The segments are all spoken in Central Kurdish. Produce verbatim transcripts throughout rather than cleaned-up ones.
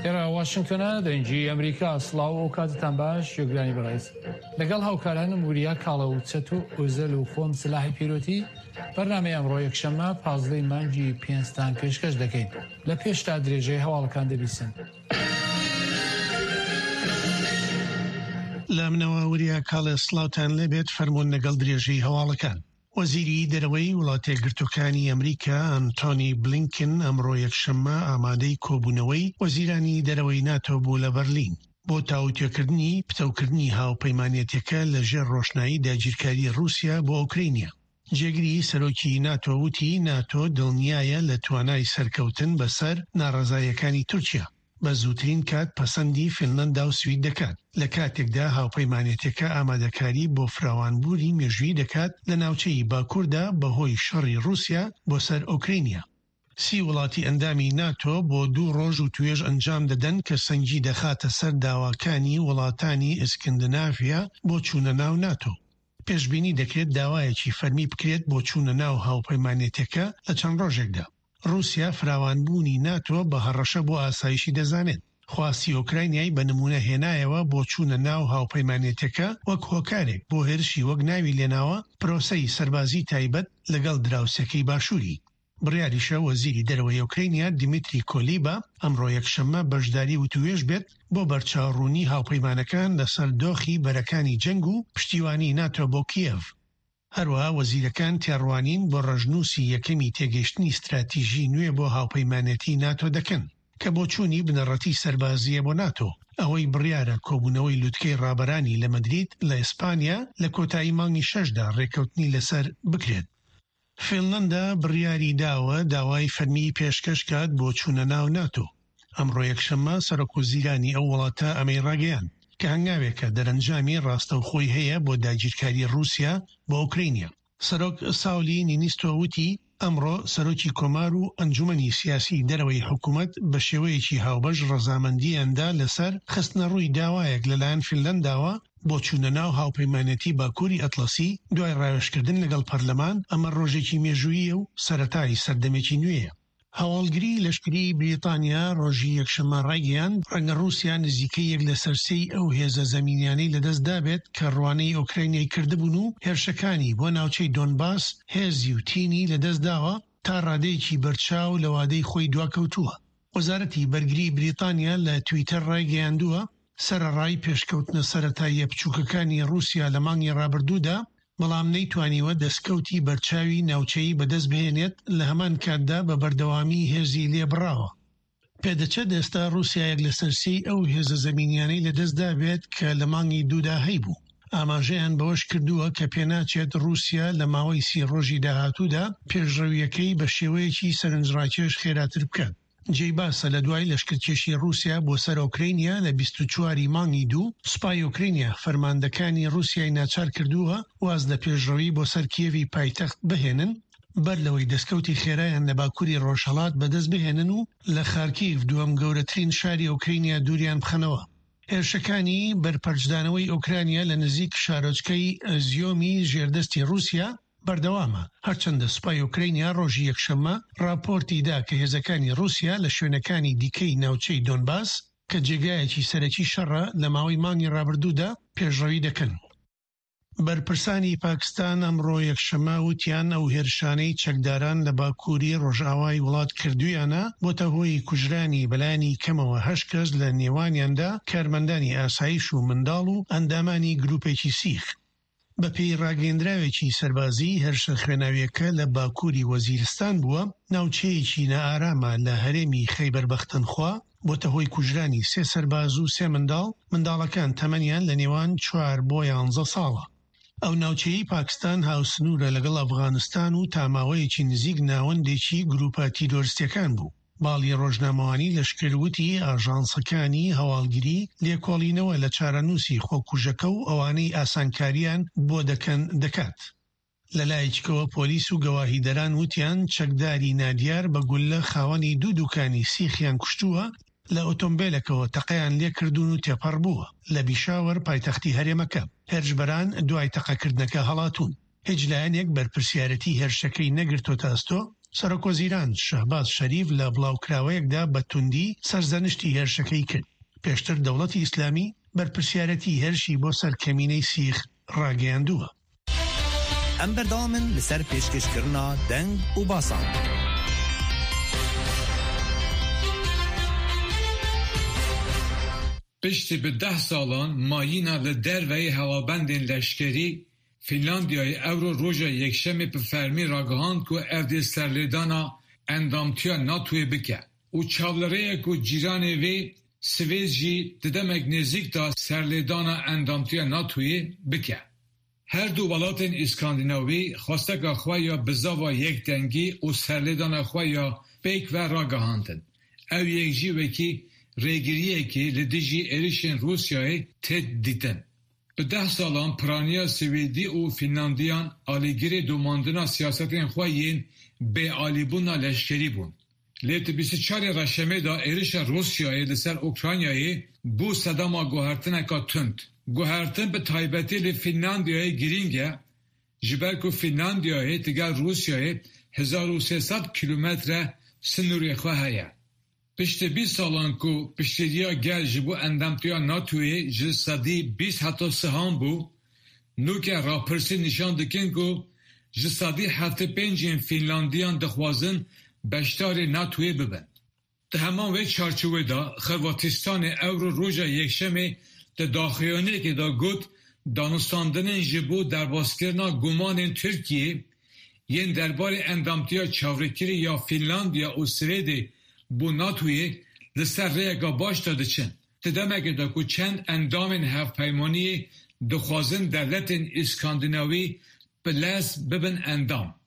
ئێرە واشنگتۆنە، دەنگی ئەمریکا. سڵاو و کاتتان باش گوێگرانی بەڕێز. لەگەڵ هاوکارانم وریا کاڵە و چەتۆ ئۆزەل و خۆم سلاحی پیرۆتی بەرنامەی ئەمڕۆ یەکشەممە پازدەی مانگی پێنجتان پێشکەش دەکەین. لە پێشتا درێژەی هەواڵەکان دەبیسن. لە منەوە وریا کاڵێ سڵاوتان لێبێت، فەرموون لەگەڵ درێژەی هەواڵەکان. وەزیری دەرەوەی وڵاتە یەکگرتووەکانی ئەمریکا ئەنتۆنی بلینکن ئەمڕۆ یەکشەممە ئامادەی کۆبوونەوەی وەزیرانی دەرەوەی ناتۆ بوو لە بەرلین بۆ تاوتوێکردنی پتەوکردنی هاوپەیمانێتیەکە لە ژێر ڕۆشنایی داگیرکاری رووسیا بۆ ئۆکرینیا. جێگری سەرۆکی ناتۆ وتی ناتۆ دڵنیایە لە توانای سەرکەوتن بەسەر ناڕەزاییەکانی تورکیا، بە زووترین کات پەسەندی فینلەندا و سوید دەکات، لە کاتێکدا هاوپەیمانێتەکە ئامادەکاری بۆ فراوانبوونی مێژووی دەکات لە ناوچەی باکووردا بەهۆی شەڕی رووسیا بۆ سەر ئۆکرینیا. سی وڵاتی ئەندامی ناتۆ بۆ دوو ڕۆژ وتوێژ ئەنجام دەدەن کە سەنگی دەخاتە سەر داواکانی وڵاتانی ئیسکندنافیا بۆ چوونە ناو ناتۆ. پێشبینی دەکرێت داوایەکی فەرمی بکرێت بۆ چوونە ناو هاوپەیمانێتەکە لە چەند ڕۆژێکدا. رووسیا فراوانبوونی ناتۆ بە هەڕەشە بۆ ئاسایشی دەزانێت. خواستی ئۆکراینیای بە نمونە هێنایەوە بۆ چوونە ناو هاوپەیمانێتەکە وەک هۆکارێک بۆ هێرشی وەک ناوی لێناوە پرۆسەی سەربازی تایبەت لەگەڵ دراوسێکەی باشووری. بڕیاریشە وەزیری دەرەوەی ئۆکرینیا دیمیتری کۆلیبا ئەمڕۆ یەکشەممە بەشداری وتوێژ بێت بۆ بەرچاوڕوونی هاوپەیمانەکان لەسەر دۆخی بەرەکانی جەنگ و پشتیوانی ناتۆ بۆ کیێڤ. هەروەها وەزیرەکان تێڕوانین بۆ ڕەشنووسی یەکەمی تێگەیشتنی ستراتیژی نوێ بۆ هاوپەیمانێتی ناتۆ دەکەن کە بۆچوونی بنەڕەتی سەربازیە بۆ ناتۆ. ئەوەی بڕیارە کۆبوونەوەی لوتکەی ڕابەرانی لە مەدرید لە ئیسپانیا لە کۆتایی مانگی شەشدا ڕێککەوتنی لەسەر بکرێت. فینلەندا بڕیاری داوە داوای فەرمی پێشکەش کات بۆ چوونە ناو ناتۆ. ئەمڕۆ یەکشەممە سەرۆک وەزیرانی ئەو وڵاتە ئەمەی ڕاگەیاند کە هەنگاوێکە دەرەنجامی ڕاستەوخۆی هەیە بۆ داگیرکاری رووسیا بۆ ئۆکرینیا. سەرۆک ساولی نینیستۆ وتی ئەمڕۆ سەرۆکی کۆمار و ئەنجومەنی سیاسی دەرەوەی حکوومەت بە شێوەیەکی هاوبەش ڕەزامەندیاندا لەسەر خستنەڕووی داوایەک لەلایەن فینلەنداوە بۆ چوونە ناو هاوپەیمانێتی باکووری ئەتڵەسی دوای ڕاوێژکردن لەگەڵ پەرلەمان. ئەمە ڕۆژێکی مێژوویە و سەرەتای سەردەمێکی نوێیە. هەواڵگری لەشکری بریتانیا ڕۆژی یەکشەممە ڕایگەیاند ڕەنگە ڕووسیا نزیکەی یەک لەسەر سێی ئەو هێزە زەمینیانەی لەدەست دابێت کە ڕوانەی ئۆکراینیای کردبوون و هێرشەکانی بۆ ناوچەی دۆنباس هێزی و تینی لەدەست داوە تا ڕادەیەکی بەرچاو لە وادەی خۆی دواکەوتووە. وەزارەتی بەرگری بریتانیا لە تویتەر ڕایگەیاندووە سەرەڕای پێشکەوتنە سەرەتاییە بچووکەکانی ڕووسیا لە مانگی ڕابردوودا، بەڵام نەیتوانیوە دەستکەوتی بەرچاوی ناوچەیی بەدەست بهێنێت، لە هەمان کاتدا بە بەردەوامی هێزی لێبڕاوە. پێدەچێت ئێستا ڕووسیا یەک لەسەر سێی ئەو هێزە زەمینیانەی لەدەستدا بێت کە لە مانگی دوودا هەیبوو. ئاماژەیان بەوەش کردووە کە پێناچێت ڕووسیا لە ماوەی سی ڕۆژی داهاتوودا پێشڕەویەکەی بە شێوەیەکی سەرنجڕاکێش خێراتر بکات. جێی باسە لە دوای لەشکرکێشی ڕووسیا بۆ سەر ئۆکرینیا لە بیست و چواری مانگی دوو، سوپای ئۆکرینیا فەرماندەکانی ڕووسیای ناچار کردووە واز لە پێشڕەوی بۆ سەر کیێڤی پایتەخت بهێنن بەر لەوەی دەستکەوتی خێرایان لە باکووری ڕۆژهەڵات بەدەست بهێنن و لە خارکیڤ، دووەم گەورەترین شاری ئۆکرینیا، دووریان بخەنەوە. هێرشەکانی بەرپەرچدانەوەی ئۆکرانیا لە نزیک شارۆچکەی ئیزیۆمی ژێردەستی ڕووسیا بەردەوامە، هەرچەندە سوپای ئۆکرینیا ڕۆژی یەکشەممە راپۆرتی دا کە هێزەکانی ڕووسیا لە شوێنەکانی دیکەی ناوچەی دۆنباس کە جێگایەکی سەرەکی شەڕە لە ماوەی مانگی ڕابردوودا پێشڕەوی دەکەن. بەرپرسانی پاکستان ئەمڕۆ یەکشەممە وتیان ئەو هێرشانەی چەکداران لە باکووری ڕۆژئاوای وڵات کردویانە بۆتە هۆی کوژرانی بەلایەنی کەمەوە هەشت کەس، لە نێوانیاندا کارمەندانی ئاسایش و منداڵ و ئەندامانی گروپێکی سیخ. بە پێی ڕاگەندراوێکی سەربازی، هێرشە خوێناویەکە لە باکووری وەزیرستان بووە، ناوچەیەکی نائارامە لە هەرێمی خەیبەر پەختونخوا، بۆتە هۆی کوژرانی سێ سەرباز و سێ منداڵ. منداڵەکان تەمەنیان لە نێوان چوار بۆ یانزە ساڵە. ئەو ناوچەیەی پاکستان هاوسنوورە لەگەڵ ئەفغانستان و تا ماوەیەکی نزیک ناوەندێکی گروپە تیرۆرستیەکان بوو. باڵی ڕۆژنامەوانی لەشکر وتی ئاژانسەکانی هەواڵگری لێکۆڵینەوە لە چارەنووسی خۆکوژەکە و ئەوانەی ئاسانکاریان بۆ دەکەن دەکات. لەلایەکەوە پۆلیس و گەواهیدەران وتیان چەکداری نادیار بە گولە خاوەنی دوو دوکانی سیخیان کوشتووە، لە ئۆتۆمبیلەکەوە تەقەیان لێکردوون و تێپەڕ بووە لە بیشاوەر، پایتەختی هەرێمەکە. هێرشبەران دوای تەقەکردنەکە هەڵاتوون. هیچ لایەنێک بەرپرسیارەتی هێرشەکەی نەگرتۆتە ئەستۆ. سەرۆکوەزیران شەهباز شەریف لە بڵاوکراوەیەکدا بە توندی سەرزەنشتی هێرشەکەی کرد. پێشتر دەوڵەتی ئیسلامی بەرپرسیارەتی هێرشی بۆ سەر کەمینەی سیخ ڕاگەیاندووە. ئەم بەردەوامن لەسەر پێشکەشکردنا دەنگ و باسان. پشتی بە دە ساڵان مایینە لە دەرەوەی هەواڵبەندên لەشکری فینلاندیای ئەورۆ ڕۆژە یەکشەمê bi fermî ragihand ku ev dê serlêdana endamtiya NATOyê bike û çavlirêye ku cîranê wê Swêd jî di demek nêzik de serlêdana endamtiya NATOyê bike. Her du welatên Îskandinavî xwesteka xwe ya bizava yekdengî û serlêdana xwe ya pêk ve ragihandin. Ew yek jî wekî rêgiriyekê li dijî êrişên Rûsyayê tê dîtin. Bi deh salan piraniya Swêdî û Fînlandiyan alîgirê domandina siyasetên xwe yên bêalîbûna leşkerî bûn. Lê di bîst û çarê Reşemê de êrişa Rûsyayê li ser Ukraynayê bû sedema guhertineka tund. Guhertin bi taybetî li Fînlandiyayê girîng e, ji ber ku Fînlandiyayê digel Rûsyayê hezar û sê sed kîlometre sînorê xwe heye. Piştî bîst salan ku piştgiriya gel ji bo endamtiya NATOyê ji sedî bîst heta sihan bû, nûke rapirsî nîşan dikin ku ji sedî heftê pêncên Fînlandiyan dixwazin beşdarê NATOyê bibin. Di heman wê çarçovê de Xirvatistanê ewro roja yekşemê di daxuyaniyekê de got danûstandinên ji bo derbaskirina gumanên Tirkiyê yên derbarê endamtiya çavrêkirî ya Fînlandiya û Swêdê bo NATOyê li ser rêyeka baş de diçin. Di demekê de ku çend endamên hevpeymaniyê dixwazin dewletên Îskandinavî bi lez bibin endam.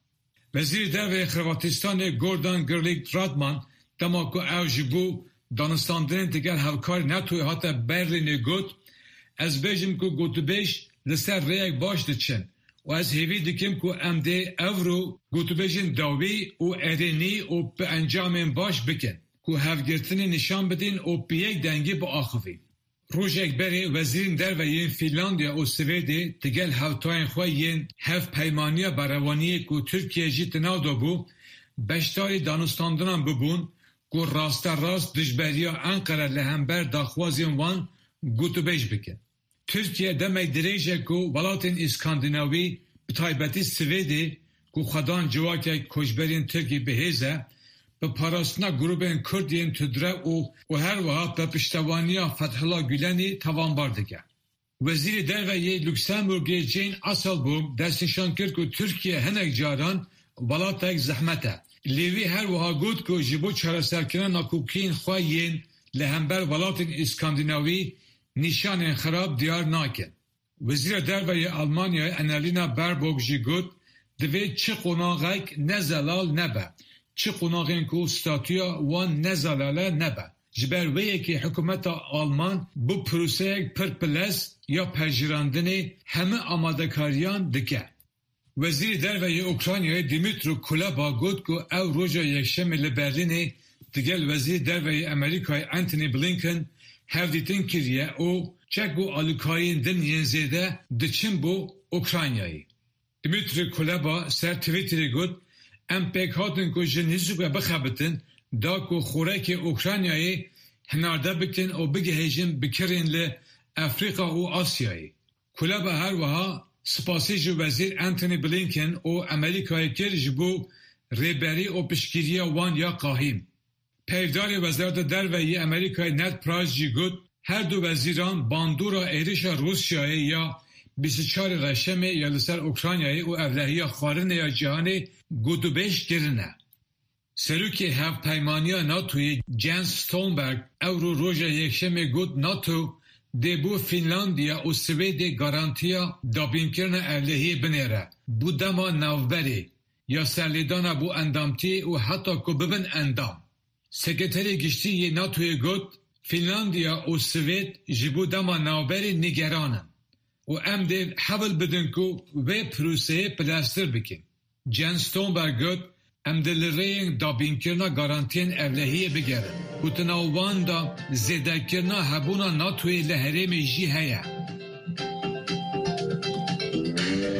Wezîrê Derve Xirvatistanê Gordan Grlić Radman dema ku ew ji bo danûstandinên digel hevkarê NATOyê hate Berlînê got, ez bêjim ku gotûbêj li ser rêyek baş diçin û ez hêvî dikim ku em dê ewro gotûbêjên dawî û erênî û bi encamên baş bikin ku hevgirtinê nîşan bidin û bi yek dengî biaxivin. Rojek berê wezîrên derve yên Fînlandiya û Swêdê digel hevtayên xwe yên hevpeymaniya berevaniyê ku Tirkiye jî di nav de bû, beşdarî danûstandinan bûbûn ku rasterast dijberiya Enqere li hember daxwazên wan gotûbêj bikin. Tirkiye demek dirêj e ku welatên Îskandinavî bi taybetî Swêdê ku xwedan civakek koçberên Tirkî bihêz e, bi parastina grûpên Kurd yên tundrew û û her wiha bi piştevaniya Fethullah Gülenî tawanbar dike. Wezîrê Derve yê Luksemburgê Jean Asselborn destnîşan kir ku Tirkiye hinek caran welatek zehmet e. Lê wî her wiha got ku ji bo çareserkirina nakokiyên xwe yên li hember welatên Îskandinavî nîşanên xerab diyar nakin. Wezîra Derve yê Almanyayê Annalena Baerbock jî got, divê çi qonaxek ne zelal nebe, çi qonaxên ku statûya wan ne zelal e nebe. Ji ber wê yekê hikûmeta Alman bo proseyek pir bilez ya pejirandinê hemû amadekariyan dike. Wezîrê Derve yê Ukraynayê Dmytro Kuleba got ku ew roja yekşemê li Berlînê digel Wezîrê Derve yê Amerîkayê Antony Blinken hevdîtin kiriye û çek û alîkariyên din yên zêde diçin bo Ukraynayê. Dmytro Kuleba ser Twitterê got, em pêk hatin ku ji nêzik ve bixebitin da ku xurekê Ukraynayê hinarde bikin û bigihêjin bikirên li Efrîka û Asyayê. Kuleba her wiha spasî ji Wezîr Antony Blinken û Amerîkayê kir ji bo rêberî û piştgiriya wan ya qahîm. Peyvdarê Wezareta Derve yê Amerîkayê Ned Price jî got, her du wezîran bandora êrişa Rûsyayê ya bîst û çarê Reşemê ya li ser Ukraynayê û ewlehiya xwarinê ya cîhanê gotûbêj kirine. Serokê Hevpeymaniya NATOyê Jens Stoltenberg ewro roja yekşemê got NATO dê bo Fînlandiya û Swêdê garantiya dabînkirina ewlehiyê binêre bo dema navberê ya serlêdana bo endamtiyê û heta ku bibin endam. Sekreterê Giştî yê NATOyê got, Fînlandiya û Swêd ji bo dema navberê nîgeran in û em dê hewl bidin ku wê proseyê bileztir bikin. Jens Stoltenberg got, em dê li rêyên dabînkirina garantiyên ewlehiyê bigerin û di nav wan de zêdekirina hebûna NATOyê li herêmê jî heye.